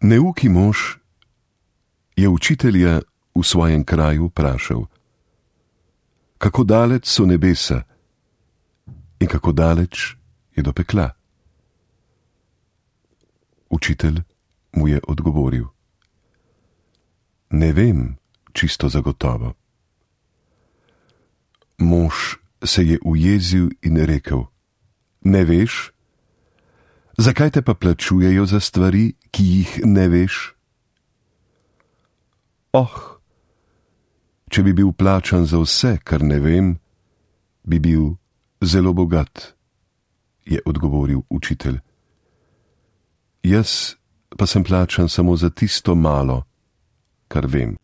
Neuki mož je učitelja v svojem kraju vprašal: kako daleč so nebesa in kako daleč je do pekla? Učitelj mu je odgovoril: ne vem čisto zagotovo. Mož se je ujezil in rekel: ne veš? Zakaj te pa plačujejo za stvari, ki jih ne veš? Oh, če bi bil plačan za vse, kar ne vem, bi bil zelo bogat, je odgovoril učitelj. Jaz pa sem plačan samo za tisto malo, kar vem.